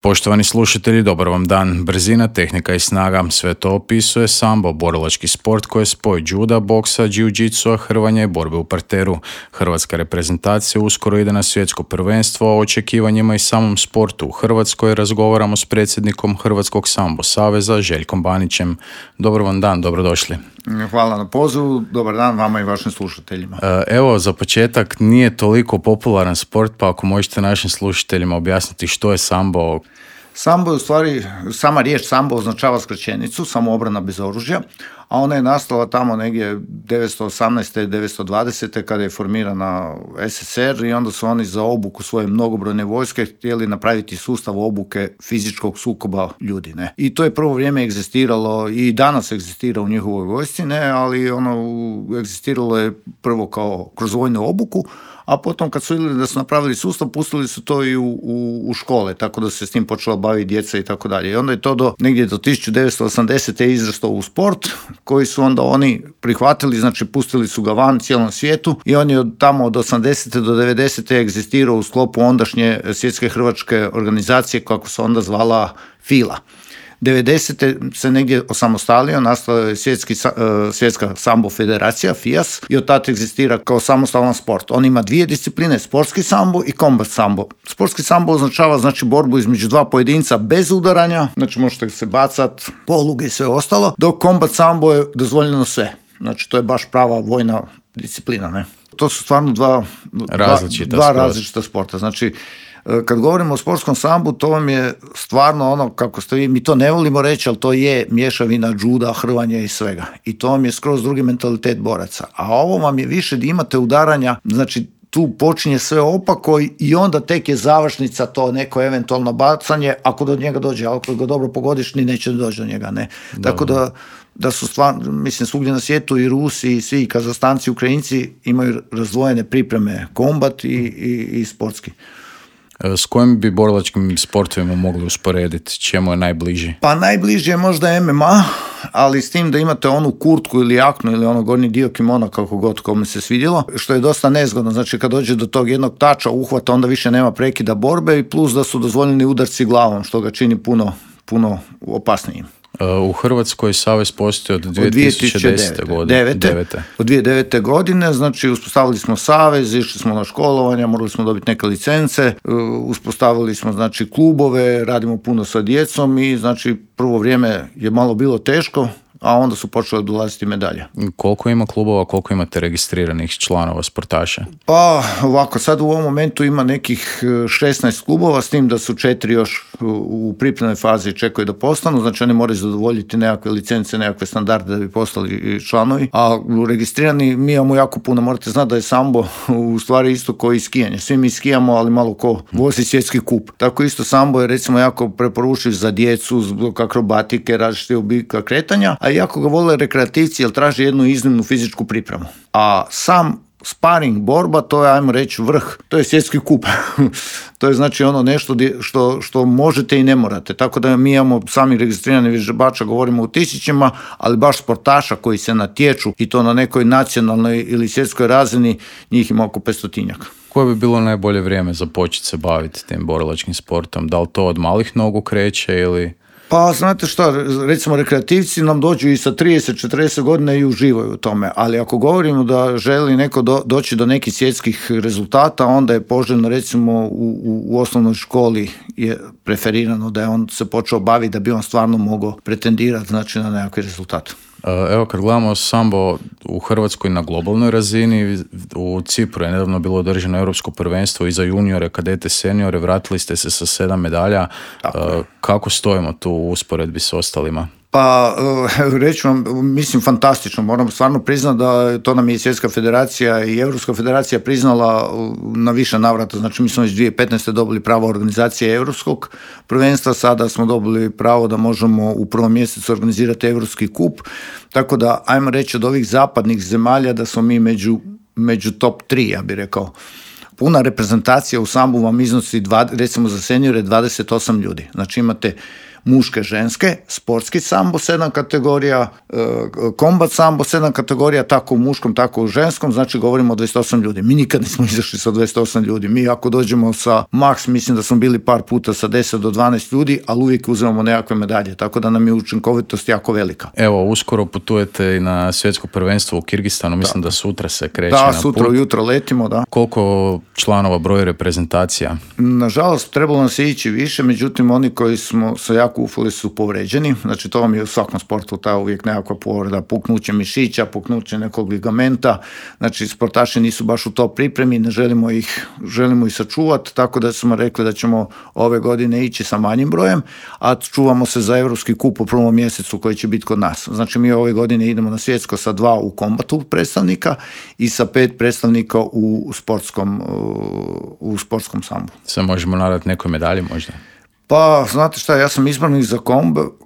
Poštovani slušatelji, dobar vam dan. Brzina, tehnika i snaga, sve to opisuje sambo, borilački sport koji je spoj juda, boksa, jiu-jitsua, hrvanja i borbe u parteru. Hrvatska reprezentacija uskoro ide na svjetsko prvenstvo, o očekivanjima i samom sportu u Hrvatskoj razgovaramo s predsjednikom Hrvatskog sambo saveza, Željkom Banićem. Dobar vam dan, dobrodošli. Hvala na pozivu, dobar dan vama i vašim slušateljima. Evo, za početak, nije toliko popularan sport, pa ako možete našim slušateljima objasniti što je sambo. Sambo je u stvari, sama riječ sambo označava skraćenicu, samoobrana bez oružja, a ona je nastala tamo negdje 918. 920. kada je formirana SSR i onda su oni za obuku svoje mnogobrojne vojske htjeli napraviti sustav obuke fizičkog sukoba ljudi. Ne? I to je prvo vrijeme egzistiralo i danas egzistira u njihovoj vojsci, ne? Ali ono egzistiralo je prvo kao kroz vojnu obuku, a potom kad su vidjeli da su napravili sustav, pustili su to i u škole, tako da se s tim počela baviti djeca i tako dalje. I onda je to negdje do 1980. izrastao u sport, koji su onda oni prihvatili, znači pustili su ga van cijelom svijetu i on je tamo od 80. do 90. egzistirao u sklopu ondašnje svjetske hrvačke organizacije, kako se onda zvala FILA. 90. se negdje osamostalio, nastala je svjetska sambo federacija, FIAS, i od tada egzistira kao samostalan sport. On ima dvije discipline, sportski sambo i kombat sambo. Sportski sambo označava znači borbu između dva pojedinca bez udaranja, znači možete se bacat, poluge i sve ostalo, dok kombat sambo je dozvoljeno sve. Znači to je baš prava vojna disciplina, ne? To su stvarno dva različita sporta. Znači, kad govorimo o sportskom sambu, to vam je stvarno ono, kako ste vi, mi to ne volimo reći, ali to je mješavina juda, hrvanja i svega. I to vam je skroz drugi mentalitet boraca. A ovo vam je više da imate udaranja, znači tu počinje sve opako i onda tek je završnica to neko eventualno bacanje, ako do njega dođe, ako ga dobro pogodiš, ni neće doći do njega, ne. Dobro. Tako da su stvarno, mislim, svugdje na svijetu i Rusi i svi Kazastanci, Ukrajinci imaju razdvojene pripreme, kombat i sportski. S kojim bi borilačkim sportovima mogli usporediti? Čemu je najbliži? Pa najbliži je možda MMA, ali s tim da imate onu kurtku ili jaknu ili ono gornji dio kimona, kako god kome se svidjelo, što je dosta nezgodno. Znači kad dođe do tog jednog tača, uhvata, onda više nema prekida borbe i plus da su dozvoljeni udarci glavom, što ga čini puno opasnijim. U Hrvatskoj savez postoji od 2010. godine. Od 2009. godine, znači uspostavili smo savez, išli smo na školovanja, morali smo dobiti neke licence, uspostavili smo znači klubove, radimo puno sa djecom i znači prvo vrijeme je malo bilo teško, a onda su počele dolaziti medalje. Koliko ima klubova, koliko imate registriranih članova sportaša? Pa ovako, sad u ovom momentu ima nekih 16 klubova, s tim da su 4 još u pripremnoj fazi čekaju da postanu, znači oni moraju zadovoljiti nekakve licence, nekakve standarde da bi postali članovi, a registrirani mi imamo jako puno. Morate znati da je sambo u stvari isto kao i skijanje. Svi mi skijamo, ali malo ko vozi svjetski kup. Tako isto sambo je recimo jako preporučiv za djecu, zbog akrobatike, različite oblika kretanja, a jako ga vole rekreativci jer traži jednu iznimnu fizičku pripremu. A sam sparing borba, to je, ajmo reći, vrh, to je svjetski kup. To je znači ono nešto što možete i ne morate. Tako da mi imamo sami registrirani vježbača, govorimo u tisućima, ali baš sportaša koji se natječu i to na nekoj nacionalnoj ili svjetskoj razini, njih ima oko 500-tinjak. Koje bi bilo najbolje vrijeme za početi se baviti tim borilačkim sportom? Da li to od malih nogu kreće ili... Pa znate šta, recimo rekreativci nam dođu i sa 30-40 godina i uživaju u tome, ali ako govorimo da želi neko doći do nekih svjetskih rezultata, onda je poželjno recimo u osnovnoj školi je preferirano da je on se počeo baviti da bi on stvarno mogao pretendirati znači na nekakvi rezultat. Evo kad gledamo sambo u Hrvatskoj na globalnoj razini, u Cipru je nedavno bilo održano europsko prvenstvo i za juniore, kadete, seniore, vratili ste se sa 7 medalja. Kako stojimo tu u usporedbi s ostalima? Pa, reći vam, mislim, fantastično. Moram stvarno priznati da to nam je Svjetska federacija i Europska federacija priznala na više navrata. Znači, mi smo već 2015. dobili pravo organizacije Europskog prvenstva, sada smo dobili pravo da možemo u prvom mjesecu organizirati Europski kup. Tako da, ajmo reći, od ovih zapadnih zemalja da smo mi među top 3, ja bih rekao. Puna reprezentacija u sambu vam iznosi, recimo za seniore, 28 ljudi. Znači, imate muške, ženske, sportski sambo 7 kategorija, kombat sambo 7 kategorija, tako u muškom, tako u ženskom, znači govorimo o 28 ljudi. Mi nikad nismo izašli sa 28 ljudi. Mi ako dođemo sa maks, mislim da smo bili par puta sa 10 do 12 ljudi, ali uvijek uzimamo nekakve medalje, tako da nam je učinkovitost jako velika. Evo, uskoro putujete i na svjetsko prvenstvo u Kirgistanu, mislim da sutra se kreće na put. Da, sutra ujutro letimo, da. Koliko članova broji reprezentacija? Nažalost, trebalo nam se ići više, međutim, oni koji smo se jako ufali su povređeni, znači to vam je u svakom sportu ta uvijek nekakva povreda, puknuće mišića, puknuće nekog ligamenta, znači sportaši nisu baš u to pripremi, ne želimo ih sačuvati, tako da smo rekli da ćemo ove godine ići sa manjim brojem, a čuvamo se za Europski kup u prvom mjesecu koji će biti kod nas. Znači mi ove godine idemo na svjetsko sa 2 u kombatu predstavnika i sa 5 predstavnika u sportskom sambu. Se možemo nadati nekoj medalji možda? Pa, znate šta, ja sam izbornik za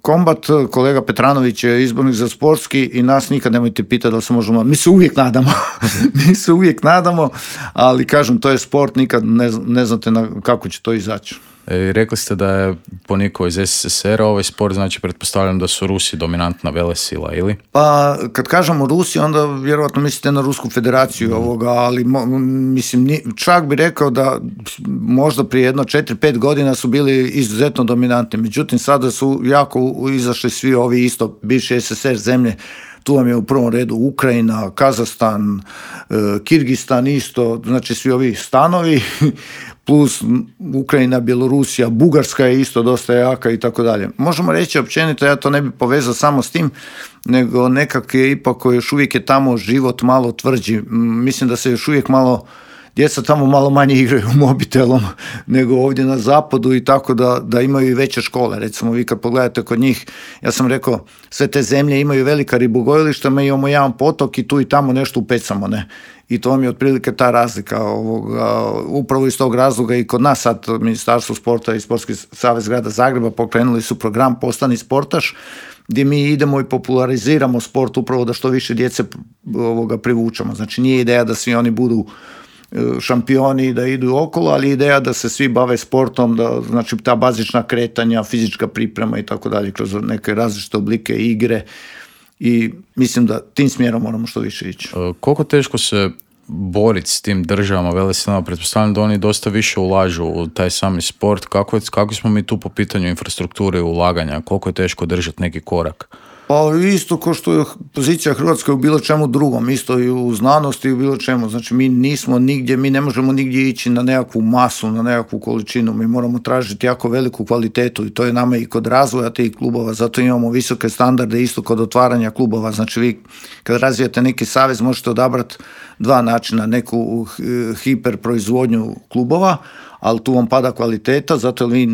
kombat, kolega Petranović je izbornik za sportski i nas nikad nemojte pitati da se možemo, mi se uvijek nadamo, ali kažem, to je sport, nikad ne znate kako će to izaći. Rekli ste da je ponikao iz SSSR-a ovaj sport, znači pretpostavljam da su Rusi dominantna velesila, ili? Pa, kad kažemo Rusi, onda vjerojatno mislite na Rusku federaciju ali mislim, čak bi rekao da možda prije 4-5 godina su bili izuzetno dominantni, međutim sada su jako izašli svi ovi isto bivši SSSR zemlje. Tu vam je u prvom redu Ukrajina, Kazahstan, Kirgistan isto, znači svi ovi stanovi, plus Ukrajina, Bjelorusija, Bugarska je isto dosta jaka i tako dalje. Možemo reći općenito, ja to ne bih povezao samo s tim, nego nekak je ipak još uvijek je tamo život malo tvrđi. Mislim da se još uvijek djeca tamo malo manje igraju mobitelom nego ovdje na zapadu i tako da imaju i veće škole. Recimo vi kad pogledate kod njih, ja sam rekao, sve te zemlje imaju velika ribogojilišta, mi imamo jedan potok i tu i tamo nešto upecamo, ne? I to vam je otprilike ta razlika. Upravo iz tog razloga i kod nas sad Ministarstvo sporta i Sportski savez grada Zagreba pokrenuli su program Postani sportaš, gdje mi idemo i populariziramo sport upravo da što više djece privučemo. Znači nije ideja da svi oni budu šampioni da idu okolo, ali ideja da se svi bave sportom, da znači ta bazična kretanja, fizička priprema i tako dalje kroz neke različite oblike igre i mislim da tim smjerom moramo što više ići. Koliko teško se boriti s tim državama, velesilama? Pretpostavljam da oni dosta više ulažu u taj sami sport. Kako smo mi tu po pitanju infrastrukture i ulaganja? Koliko je teško držati neki korak? Pa isto kao što je pozicija Hrvatske u bilo čemu drugom, isto i u znanosti i u bilo čemu. Znači mi nismo nigdje, mi ne možemo nigdje ići na nekakvu masu, na nekakvu količinu. Mi moramo tražiti jako veliku kvalitetu i to je nama i kod razvoja tih klubova, zato imamo visoke standarde isto kod otvaranja klubova. Znači vi kad razvijate neki savez možete odabrati 2 načina, neku hiperproizvodnju klubova, ali tu vam pada kvaliteta, zato jer vi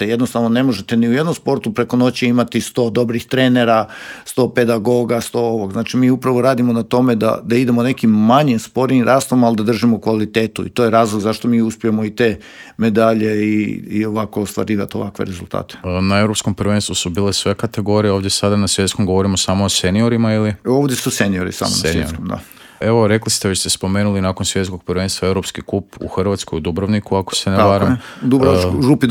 jednostavno ne možete ni u jednom sportu preko noći imati 100 dobrih trenera, 100 pedagoga, 100 ovog. Znači mi upravo radimo na tome da idemo nekim manjim sporim rastom, ali da držimo kvalitetu i to je razlog zašto mi uspijemo i te medalje i ovako ostvarivati ovakve rezultate. Na Europskom prvenstvu su bile sve kategorije, ovdje sada na svjetskom govorimo samo o seniorima ili? Ovdje su seniori samo na svjetskom, da. Evo, rekli ste, već ste spomenuli nakon svjetskog prvenstva Europski kup u Hrvatskoj, u Dubrovniku, ako se ne varam. Župi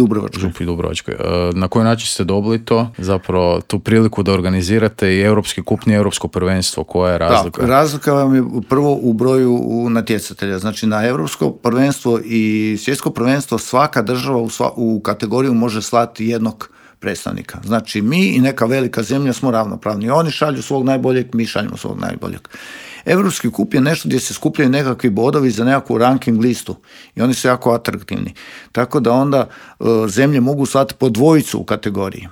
Dubrovačkoj. Na koji način ste dobili to? Zapravo, tu priliku da organizirate i Europski kup, nije Europsko prvenstvo. Koja je razlika? Da, razlika vam je prvo u broju natjecatelja. Znači, na Europsko prvenstvo i svjetsko prvenstvo svaka država u kategoriju može slati jednog predstavnika. Znači, mi i neka velika zemlja smo ravnopravni. Oni šalju svog najboljeg, mi šaljemo svog najboljeg. Europski kup je nešto gdje se skupljaju nekakvi bodovi za nekakvu ranking listu i oni su jako atraktivni. Tako da onda zemlje mogu slati po 2 u kategoriji.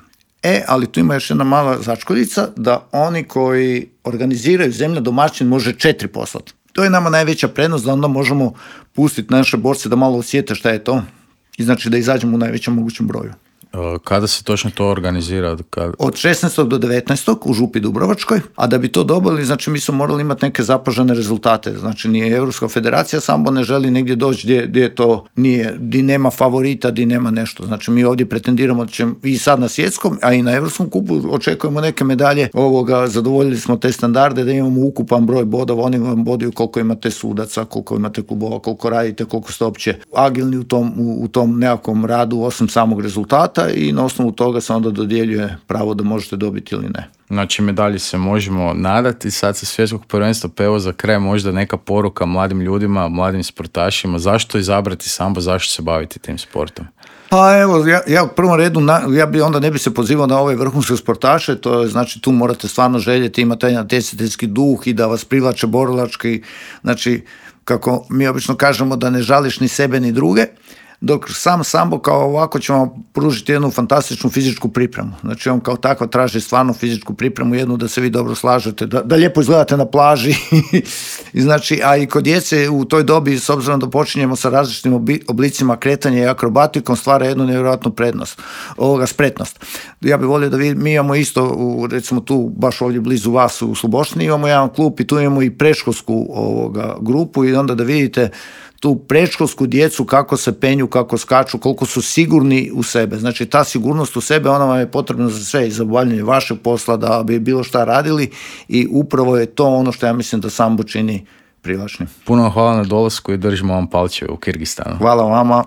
Ali tu ima još jedna mala začkoljica da oni koji organiziraju zemlja domaćin može 4 poslati. To je nama najveća prednost da onda možemo pustiti naše borce da malo osjete šta je to i znači da izađemo u najvećem mogućem broju. Kada se točno to organizira? Od 16. do 19. u Župi Dubrovačkoj, a da bi to dobili, znači mi smo morali imati neke zapažene rezultate. Znači nije Europska federacija sambo ne želi negdje doći gdje to nije, gdje nema favorita, gdje nema nešto. Znači mi ovdje pretendiramo i sad na svjetskom, a i na Europskom kupu očekujemo neke medalje. Zadovoljili smo te standarde da imamo ukupan broj bodova, oni vam boduju koliko imate sudaca, koliko imate klubova, koliko radite, koliko ste opće agilni u tom nekakvom radu osim samog rezultata. rezultata i na osnovu toga se onda dodjeljuje pravo da možete dobiti ili ne. Znači medalji se možemo nadati sad sa svjetskog prvenstva, pa evo za kraj možda neka poruka mladim ljudima, mladim sportašima, zašto izabrati sambo, zašto se baviti tim sportom? Pa evo, ja u prvom redu, ja bi onda ne bi se pozivao na ove vrhunske sportaše, to je, znači tu morate stvarno željeti, imati taj natjecateljski duh i da vas privlače borilački, znači kako mi obično kažemo da ne žališ ni sebe ni druge, dok sam sambo kao ovako će vam pružiti jednu fantastičnu fizičku pripremu. Znači on kao tako traži stvarno fizičku pripremu, jednu da se vi dobro slažete, da lijepo izgledate na plaži. I znači, a i kod djece u toj dobi, s obzirom da počinjemo sa različitim oblicima kretanja i akrobatikom, stvara jednu nevjerojatnu spretnost. Ja bih volio da mi imamo isto, recimo tu, baš ovdje blizu vas u Sloboštini, imamo jedan klub i tu imamo i predškolsku grupu i onda da vidite tu predškolsku djecu kako se penju, kako skaču, koliko su sigurni u sebe. Znači ta sigurnost u sebe, ona vam je potrebna za sve i za obavljanje vašeg posla, da bi bilo šta radili i upravo je to ono što ja mislim da sambo čini privlačnim. Puno hvala na dolasku i držimo vam palčeve u Kirgistanu. Hvala vama.